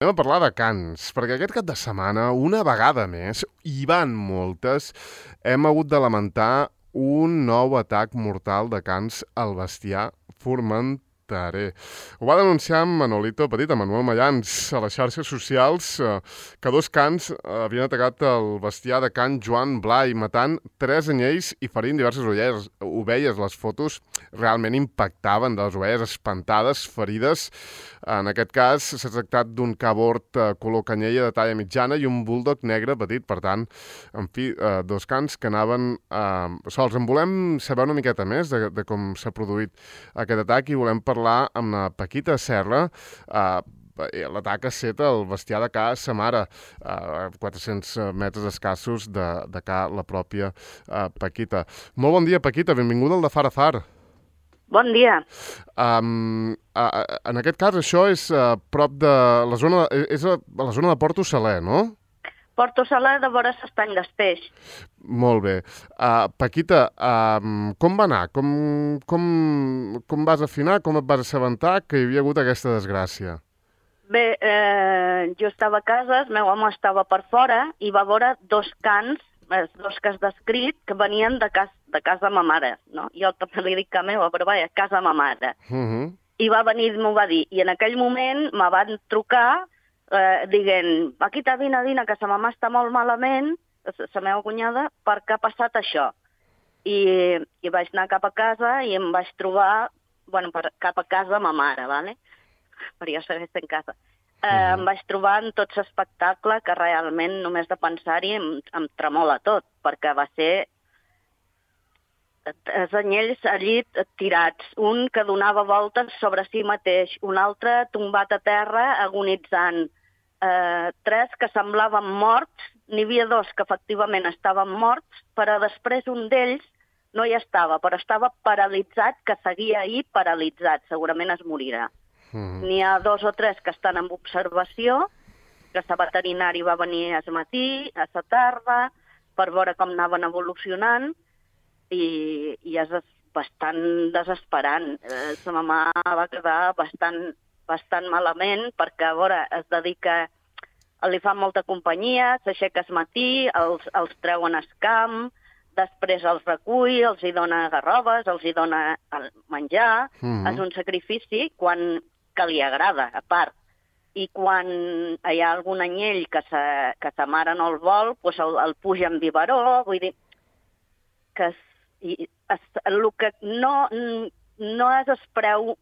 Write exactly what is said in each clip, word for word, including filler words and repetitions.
Anem a parlar de cants, perquè aquest cap de setmana, una vegada més, hi van moltes, hem hagut de lamentar un nou atac mortal de cans al bestiar formenterer. Ho va denunciar en Manolito Petit, en Manuel Mayans, a les xarxes socials, eh, que dos cans havien atacat el bestiar de Can Joan Blai, matant tres anyells i ferint diverses ovelles. ovelles. Les fotos realment impactaven de les ovelles espantades, ferides. En aquest cas s'ha tractat d'un cabort eh, color canyella de talla mitjana i un bulldog negre petit. Per tant, en fi, eh, dos cans que anaven eh, sols. En volem saber una miqueta més de, de com s'ha produït aquest atac i volem parlar amb la Paquita Serra. Eh, L'atac ha set el bestiar de ca sa mare, a quatre-cents metres escassos de, de ca la pròpia eh, Paquita. Molt bon dia, Paquita, benvinguda al de Far a Far. Bon dia. Um, a, a, en aquest cas, això és a prop de la zona, és a, a la zona de Porto Saler, no? Porto Saler de vora s'estany d'Espeix. Molt bé. Uh, Paquita, um, com va anar? Com, com, com vas afinar? Com et vas assabentar que hi havia hagut aquesta desgràcia? Bé, eh, jo estava a casa, el meu home estava per fora i va veure dos cans, els dos que has descrit, que venien de, cas, de casa de ma mare, no? Jo també li dic que meva, però vaja, casa de ma mare. Uh -huh. I va venir, m'ho va dir, i en aquell moment me van trucar eh, dient, Paquita, vine, vine, que sa mamà està molt malament, la meva cunyada, perquè ha passat això. I, i vaig anar cap a casa i em vaig trobar, bueno, per, cap a casa de ma mare, ¿vale? Però jo segueix en casa. Eh, uh-huh. Em vaig trobar en tot l'espectacle que realment només de pensar-hi em, em tremola tot, perquè va ser els anyells allí tirats, un que donava voltes sobre si mateix, un altre tombat a terra agonitzant, eh, tres que semblaven morts, n'hi havia dos que efectivament estaven morts, però després un d'ells no hi estava, però estava paralitzat, que seguia ahir paralitzat, segurament es morirà. Mm. N'hi ha dos o tres que estan en observació, que la veterinari va venir al matí, a la tarda, per veure com anaven evolucionant, i, i és bastant desesperant. Eh, la mamà va quedar bastant, bastant malament, perquè a veure, es dedica, li fa molta companyia, s'aixeca al matí, els, els treuen al camp, després els recull, els hi dona garrobes, els hi dona menjar, mm-hmm. És un sacrifici quan que li agrada, a part. I quan hi ha algun anyell que sa, que sa mare no el vol, doncs el, el puja en biberó, vull dir que es, i, es, el que no, no és el preu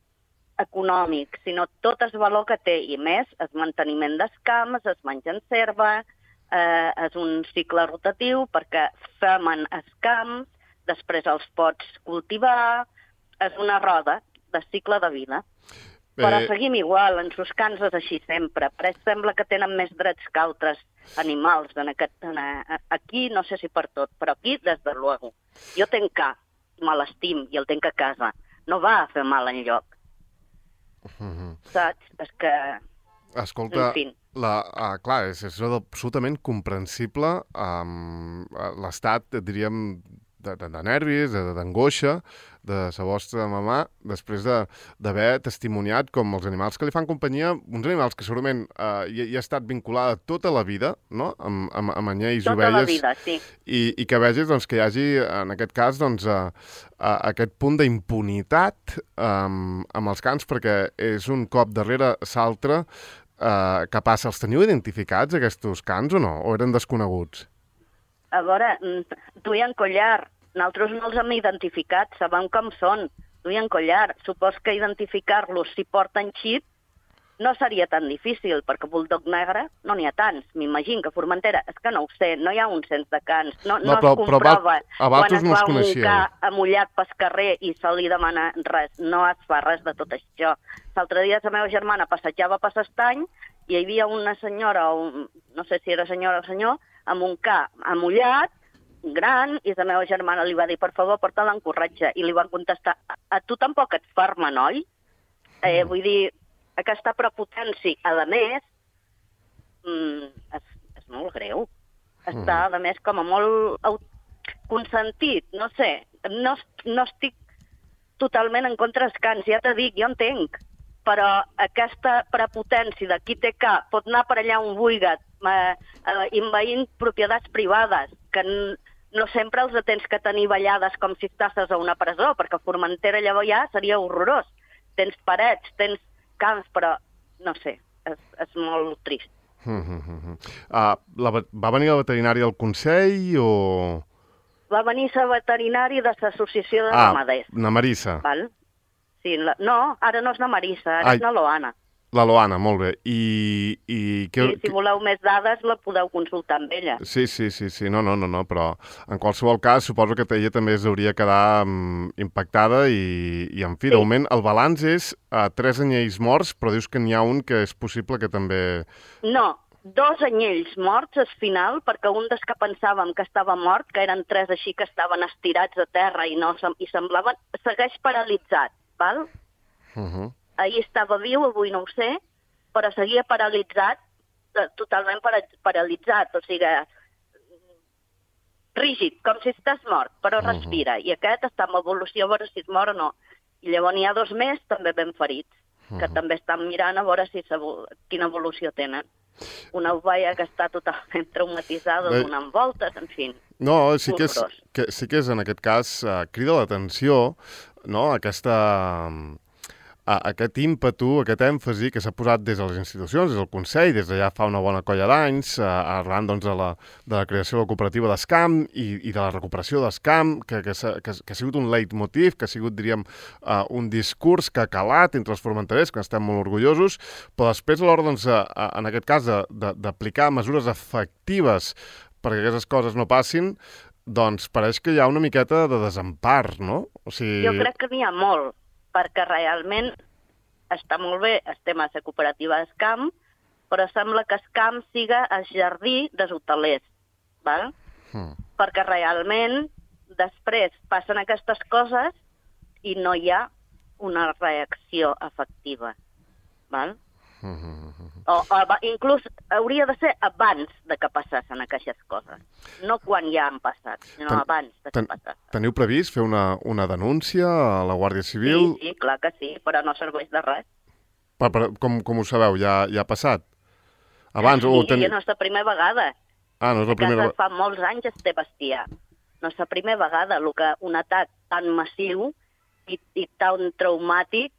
econòmic, sinó tot el valor que té, i més el manteniment dels camps, es mengen serva, eh, és un cicle rotatiu perquè femen els camps, després els pots cultivar, és una roda de cicle de vida. Però seguim igual, en sus cans és així sempre, però sembla que tenen més drets que altres animals. En aquest, en, aquí, no sé si per tot, però aquí, des de luego. Jo tenc ca, me l'estim, i el tenc a casa. No va a fer mal enlloc. Uh-huh. Saps? És que... Escolta, en fi. La, uh, clar, és, és absolutament comprensible um, l'estat, diríem, de, de, de nervis, d'angoixa de la vostra mamà, després d'haver testimoniat com els animals que li fan companyia, uns animals que segurament uh, hi, hi ha estat vinculada tota la vida, no?, amb, amb, amb anyells i ovelles. Tota la vida, sí. I, i que vegis doncs, que hi hagi, en aquest cas, doncs, uh, uh, aquest punt d'impunitat um, amb els cans, perquè és un cop darrere l'altre. Uh, què passa? Els teniu identificats, aquests cans, o no? O eren desconeguts? A veure, duien collar. Nosaltres no els hem identificat, sabem com són. Duien collar. Supos que identificar-los si porten xip no seria tan difícil, perquè bulldog negre no n'hi ha tants. M'imagino que Formentera, és que no ho sé, no hi ha un cens de cans. No, no, no però, es comprova però quan es no va un ca amullat pel carrer i se li demana res. No es fa res de tot això. L'altre dia la meva germana passejava per l'estany i hi havia una senyora, o un, no sé si era senyora o senyor, amb un ca amullat, gran, i la meva germana li va dir, per favor, porta-la en corretge. I li van contestar, a, a tu tampoc et farmen, oi? Eh, vull dir, aquesta prepotència, a més, mm, és, és molt greu. Està, a més, com a molt consentit, no sé. No, no estic totalment en contra dels cans, ja t'he dit, jo entenc. però aquesta prepotència de qui té cap pot anar per allà on vulgui, eh, eh, invaint propietats privades, que no sempre els tens que tenir ballades com si estàs a una presó, perquè a Formentera llavors ja seria horrorós. Tens parets, tens camps, però no sé, és, és molt trist. Uh, uh, uh. Uh, la, va venir la veterinària al Consell o...? Va venir la veterinària de l'associació de ah, ramaders. Ah, na Marissa. Val? Sí, la... No, ara no és na Marissa, ara Ai, és na Loana. La Loana, molt bé. I, i que, sí, si voleu més dades, la podeu consultar amb ella. Sí, sí, sí, sí. No, no, no, no, però en qualsevol cas suposo que ella també hauria quedar um, impactada i, i en fi, sí. De moment el balanç és uh, tres anyells morts, però dius que n'hi ha un que és possible que també... No, dos anyells morts al final, perquè un dels que pensàvem que estava mort, que eren tres així que estaven estirats a terra i, no, i semblaven, segueix paralitzat, val? Uh -huh. Ahir estava viu, avui no ho sé, però seguia paralitzat, totalment paralitzat, o sigui, rígid, com si estàs mort, però respira. Uh -huh. I aquest està en evolució a veure si es mor o no. I llavors n'hi ha dos més també ben ferits, uh -huh. que també estan mirant a veure si quina evolució tenen. Una ovella que està totalment traumatitzada, Bé... donant voltes, en fi. No, sí que, és, que, sí que és en aquest cas, uh, crida l'atenció, no?, aquesta... aquest ímpetu, aquest èmfasi que s'ha posat des de les institucions, des del Consell, des de ja fa una bona colla d'anys, eh, arran doncs, de, la, de la creació de la cooperativa d'Escamp i, i de la recuperació d'Escamp, que, que, que, que ha sigut un leitmotiv, que ha sigut, diríem, uh, un discurs que ha calat entre els formenterers, que estem molt orgullosos, però després a l'hora, doncs, a, a, en aquest cas, d'aplicar mesures efectives perquè aquestes coses no passin, doncs pareix que hi ha una miqueta de desempar, no? O sigui... Jo crec que n'hi ha molt, perquè realment està molt bé el tema de la cooperativa d'Escamp, però sembla que Escamp siga el jardí dels hotelers, val? Mm. Perquè realment després passen aquestes coses i no hi ha una reacció efectiva, val? Mm -hmm. o, o inclús hauria de ser abans de que passessin aquestes coses, no quan ja han passat, sinó ten, abans de que ten, passessin. Teniu previst fer una, una denúncia a la Guàrdia Civil? Sí, sí, clar que sí, però no serveix de res. Per, per, com, com ho sabeu? Ja, ja ha passat? Abans, sí, o ten... no és la primera vegada. Ah, no és la primera vegada. Fa molts anys es té bestiar. No és la primera vegada el que un atac tan massiu i, i tan traumàtic,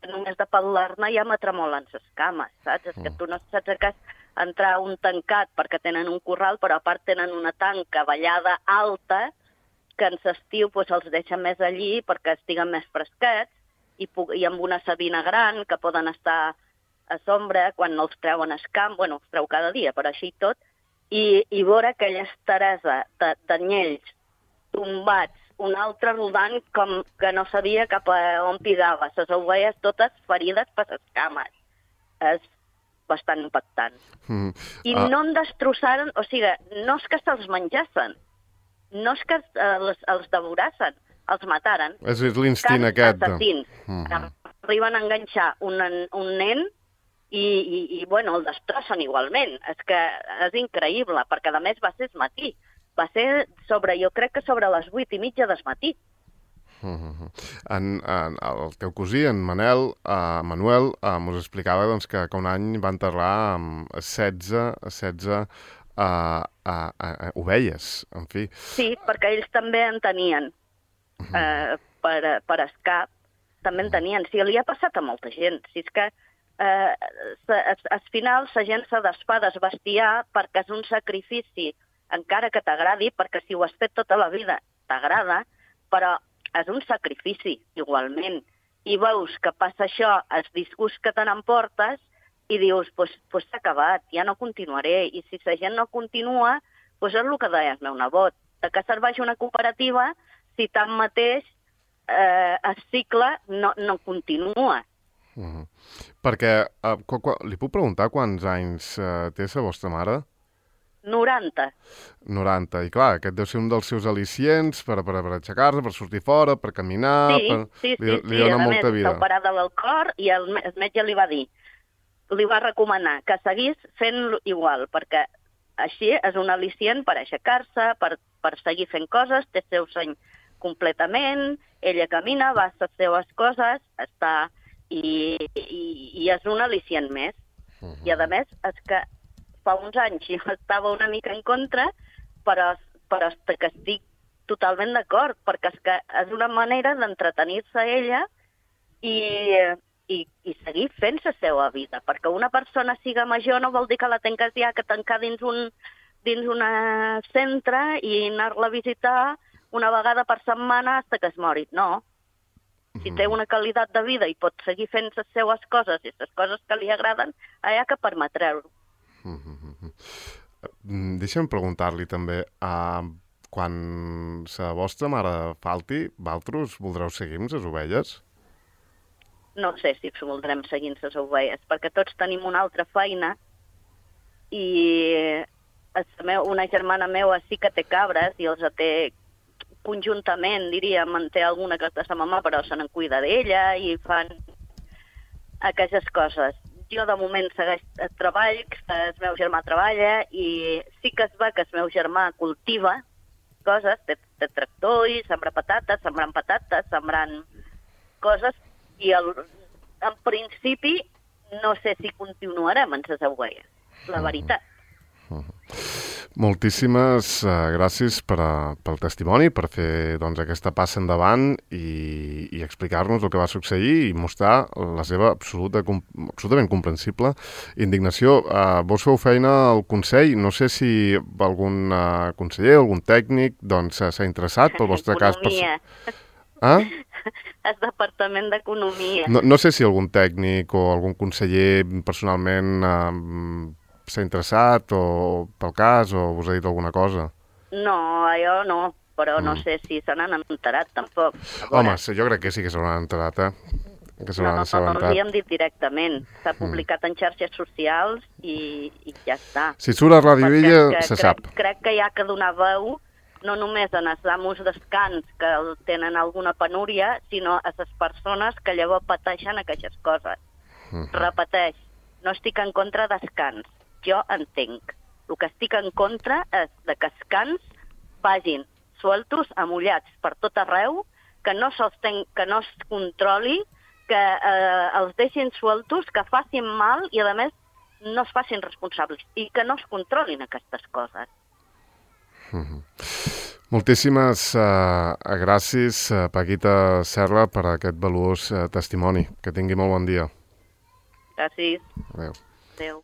només de parlar-ne ja m'atremolen les cames, saps? És que tu no saps que és entrar a un tancat perquè tenen un corral, però a part tenen una tanca vallada alta que en l'estiu pues, els deixa més allí perquè estiguen més fresquets i, i amb una sabina gran que poden estar a sombra quan no els treuen al camp, bueno, els treu cada dia, però així tot, i, i veure aquella esteresa d'anyells tombats, un altre rodant com que no sabia cap a on pigava, les ovelles totes ferides per les cames. És bastant impactant. Mm. I ah. no en destrossaren, o sigui, no és que se'ls menjassen, no és que els, els devorassen, els mataren. És l'instint aquest. Assassins. Mm -hmm. Arriben a enganxar un, un nen i, i, i, bueno, el destrossen igualment. És que és increïble, perquè a més va ser el matí. Va ser sobre, jo crec que sobre les vuit i mitja del matí. Uh -huh. en, en, el teu cosí, en Manel, uh, Manuel, uh, mos explicava doncs, que, que un any va enterrar um, setze, setze uh, uh, uh, ovelles, en fi. Sí, perquè ells també en tenien. Uh -huh. uh, per, per escap, també en tenien. Sí, li ha passat a molta gent. Si és que uh, al final la gent se desfà del bestiar perquè és un sacrifici, encara que t'agradi, perquè si ho has fet tota la vida t'agrada, però és un sacrifici, igualment. I veus que passa això, els disgusts que te n'emportes, i dius, doncs pues, pues s'ha acabat, ja no continuaré. I si la gent no continua, doncs és el que deia el meu nebot. De què serveix una cooperativa si tanmateix eh, el cicle no, no continua? Uh -huh. Perquè, uh, qu qu li puc preguntar quants anys uh, té la vostra mare? noranta. noranta. I clar, aquest deu ser un dels seus al·licients per, per, per aixecar-se, per sortir fora, per caminar... Sí, per... sí, li, sí. li dona sí. molta A més, vida. s'ha operat del cor i el, el metge li va dir, li va recomanar que seguís fent igual, perquè així és un al·licient per aixecar-se, per, per seguir fent coses, té el seu seny completament, ella camina, va a les seves coses, està... i, i, i és un al·licient més. Uh-huh. I a més, és que fa uns anys jo estava una mica en contra, però, però que estic totalment d'acord, perquè és que és una manera d'entretenir-se ella i, i, i seguir fent la seva vida, perquè una persona siga major no vol dir que la tengues ja que tancar dins un dins un centre i anar-la a visitar una vegada per setmana fins que es mori. No. Si té una qualitat de vida i pot seguir fent les seues coses i les coses que li agraden, allà que permetreu-ho. Deixa'm preguntar-li també, uh, quan la vostra mare falti, vosaltres voldreu seguir amb les ovelles? No sé si voldrem seguir amb les ovelles, perquè tots tenim una altra feina i una germana meva sí que té cabres i els té conjuntament, diríem, en té alguna que és de sa mamà, però se n'en cuida d'ella i fan aquestes coses. Jo de moment segueix el treball, el meu germà treballa i sí que es va que el meu germà cultiva coses, té, té tractor i sembra patates, sembrant patates, sembrant coses i el, en principi no sé si continuarem en les ovelles, la veritat. Moltíssimes uh, gràcies per a, pel testimoni, per fer doncs, aquesta passa endavant i, i explicar-nos el que va succeir i mostrar la seva absoluta, com, absolutament comprensible indignació. Uh, vos feu feina al Consell, no sé si algun uh, conseller, algun tècnic doncs, s'ha interessat pel vostre cas. Economia. Ah? El Departament d'Economia. No, no sé si algun tècnic o algun conseller personalment uh, s'ha interessat o pel cas o us ha dit alguna cosa? No, jo no, però mm. no sé si se n'han enterat tampoc. Home, sí, jo crec que sí que se n'han enterat, eh? Que se no, no, no, no l'hi hem dit directament. S'ha publicat mm. en xarxes socials i, i ja està. Si surt a Ràdio Vella, se crec, sap. Crec que hi ha que donar veu no només en els amos descans que tenen alguna penúria, sinó a les persones que llavors pateixen aquestes coses. Mm. Repeteix, no estic en contra dels cans. Jo entenc. El que estic en contra és de que els cans vagin sueltos, amullats per tot arreu, que no se'ls ten, que no es controli, que eh, els deixin sueltos, que facin mal i, a més, no es facin responsables i que no es controlin aquestes coses. Mm-hmm. Moltíssimes uh, gràcies, uh, Paquita Serra, per aquest valuós uh, testimoni. Que tingui molt bon dia. Gràcies. Adéu. Adéu.